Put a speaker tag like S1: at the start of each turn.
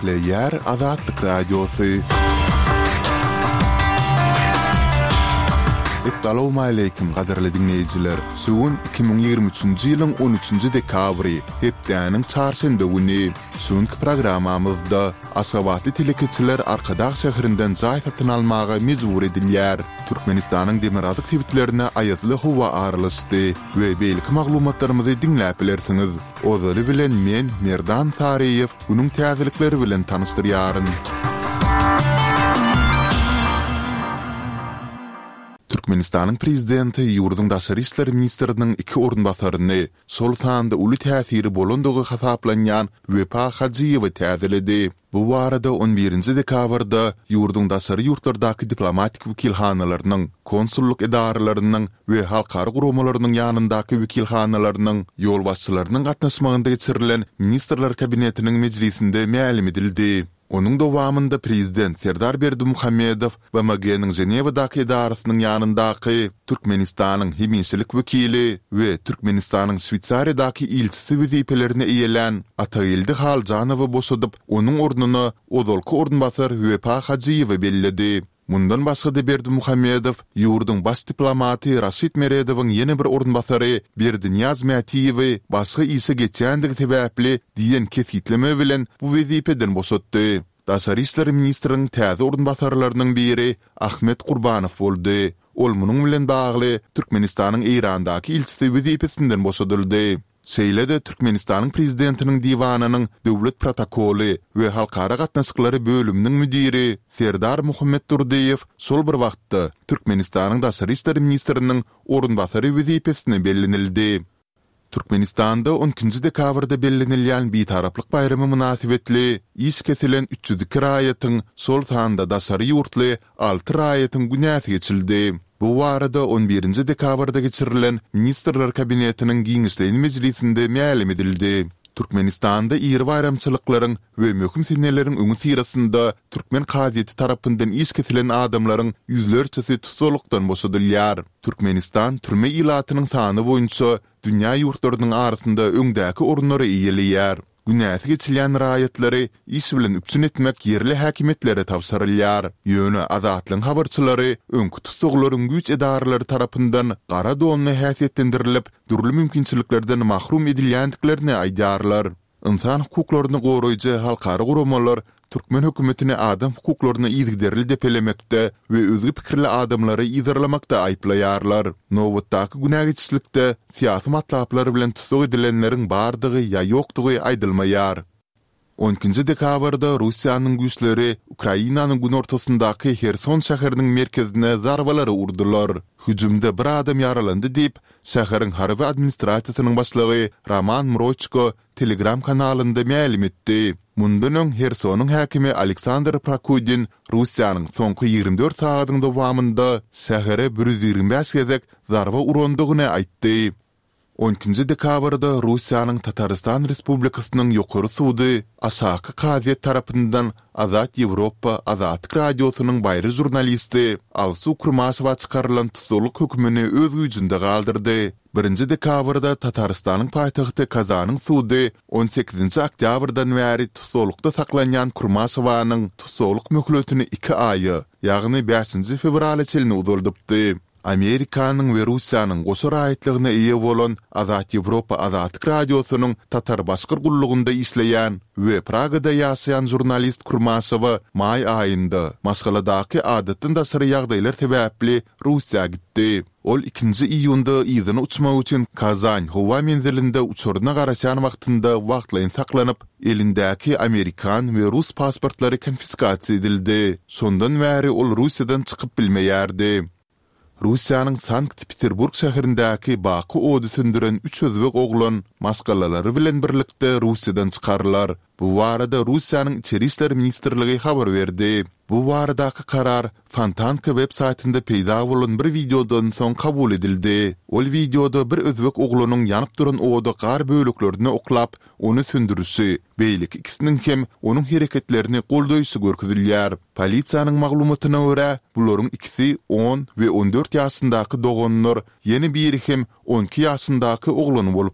S1: Gepleýär Azatlyk Radiosy. Essalawmaleýkim gadyrly diňleýjiler! Şu gün 2023-nji ýylyň on üçünji dekabry, hepdäniň çarşenbe güni. Şu günki programmamyzda Aşgabatly telekeçiler Arkadag şäherinden jaý satyn almaga mejbur edilýär. Türkmenistanyň demirgazyk sebitlerine aýazly howa aralaşdy we beýleki maglumatlarymyzy diňläp bilersiňiz. Ozaly bilen men, Merdan Saryýew, günüň täzelikleri bilen tanyşdyrýaryn. Türkmenistanyň Prezidenti ýurduň daşary işler ministriniň iki orunbasaryny, şol sanda uly täsiri bolandygy hasaplanýan Wepa Hajyýewi täzeledi. Bu barada on birinji dekabrda ýurduň daşary ýurtlardaky diplomatik wekilhanalarynyň, konsullyk edaralarynyň we halkara guramalarynyň ýanyndaky wekilhanalarynyň ýolbaşçylarynyň gatnaşmagynda geçirilen Ministrler Kabinetiniň mejlisinde mälim edildi. Onuň dowamynda Prezident Serdar Berdimuhamedow BMG-niň Ženewadaky edarasynyň ýanyndaky Türkmenistanyň hemişelik wekili we Türkmenistanyň Şweýsariýadaky ilçisi wezipelerini eýelän Atageldi Haljanowy boşadyp, onuň ornuna ozalky orunbasar Wepa Hajyýewi belledi. Mundan başga-da Berdimuhamedow ýurduň baş diplomaty Raşid Meredowyň ýene bir orunbasary Berdinyýaz Mätiýewi başga işe geçýändigi sebäpli diýen kesgitleme bilen bu wezipeden boşatdy. Daşary işler ministriň täze orunbasarlarynyň biri Ahmet Gurbanow boldy. Ol munuň bilen bagly Türkmenistanyň Eýrandaky ilçisi wezipesinden boşadyldy. Şeýle-de Türkmenistanyň Prezidentiniň Diwanynyň Döwlet protokoly we halkara gatnaşyklary bölüminiň müdiri Serdar Muhammetdurdyýew şol bir wagtda Türkmenistanyň daşary işler ministriniň orunbasary wezipesine bellenildi. Türkmenistanda on ikinji dekabrda bellenilýän Bitaraplyk baýramy mynasybetli iş kesilen 302 raýatyň, şol sanda daşary ýurtly alty raýatyň günäsi geçildi. Bu barada on birinji dekabrda geçirilen Ministrler Kabinetiniň giňişleýin mejlisinde mälim edildi. Türkmenistanda iri baýramçylyklaryň we möhüm seneleriň öňüsyrasynda türkmen kazyýeti tarapyndan iş kesilen adamlaryň ýüzlerçesi tussaglykdan boşadylýar. Türkmenistan türme ilatynyň sany boýunça dünýä ýurtlarynyň arasynda öňdäki orunlary eýeleýär. Günäsi geçilýän raýatlary iş bilen üpjün etmek ýerli häkimiýetlere tabşyrylýar. Ýöne Azatlygyň habarçylary öňki tussaglaryň güýç edaralary tarapyndan gara donly häsiýetlendirilip, dürli mümkinçiliklerden mahrum edilýändiklerini aýdýarlar. Ynsan hukuklaryny goraýjy halkara guramalar türkmen hökümetini adam hukuklaryny yzygiderli depelemekde we özge pikirli adamlary yzarlamakda aýyplaýarlar. Nobatdaky günä geçişlikde syýasy matlaplar bilen tussag edilenleriň bardygy ýa ýokdugy aýdylmaýar. On ikinji dekabrda Russiýanyň güýçleri Ukrainanyň günortasyndaky Herson şäheriniň merkezine zarbalary urdular. Hüjümde bir adam ýaralandy diýip, şäheriň harby administrasiýasynyň başlygy Roman Mroçko Telegram kanalynda mälim etdi. Mundan öň Hersonyň häkimi Aleksandr Prokudin Russiýanyň soňky 24 sagadyň dowamynda şähere 125 gezek zarba urandygyny aýtdy. On ikinji dekabrda Russiýanyň Tatarystan Respublikasynyň Ýokary sudy Aşaky kazyýet tarapyndan Azat Ýewropa Azatlyk Radiosynyň baýry žurnalisti Alsu Kurmaşowa çykarylan tussaglyk hökümini öz güýjünde galdyrdy. Birinji dekabrda Tatarystanyň paýtagty Kazanyň sudy on sekizinji oktýabrdan bäri tussaglykda saklanýan Kurmaşowanyň tussaglyk möhletini iki aýa, ýagny bäşinji fewrala çenli uzaldypdy. Amerikanyň we Russiýanyň goşa raýatlygyna eýe bolan Azat Ýewropa Azatlyk Radiosynyň Tatar-Başgyr gullugynda işleýän we Pragada ýaşaýan žurnalist Kurmaşowa maý aýynda, maşgaladaky adatdan daşary ýagdaýlar sebäpli Russiýa gitdi. Ol ikinji iýunda yzyna uçmak üçin Kazan howa menzilinde uçaryna garaşýan wagtynda wagtlaýyn saklanyp, elindäki amerikan we rus pasportlary konfiskasiýa edildi. Şondan bäri ol Russiýadan çykyp bilmeýärdi. Russiýanyň Sankt-Peterburg şäherindäki Baky ody söndüren üç özbek oglan maşgalalary bilen birlikde Russiýadan çykarylar. Bu barada Russiýanyň Içeri işler ministrligi habar berdi. Bu baradaky karar Fontanka web saýtynda peýda bolan bir wideodan soň kabul edildi. Ol wideoda bir özbek oglanyň ýanyp duran oda gar böleklerini oklap, ony söndürişi, beýleki ikisiniň hem onuň hereketlerini goldaýşy görkezilýär. Polisiýanyň maglumatyna görä, bularyň ikisi on we on dört ýaşyndaky doganlar, ýene biri hem on iki ýaşyndaky oglan bolupdyr.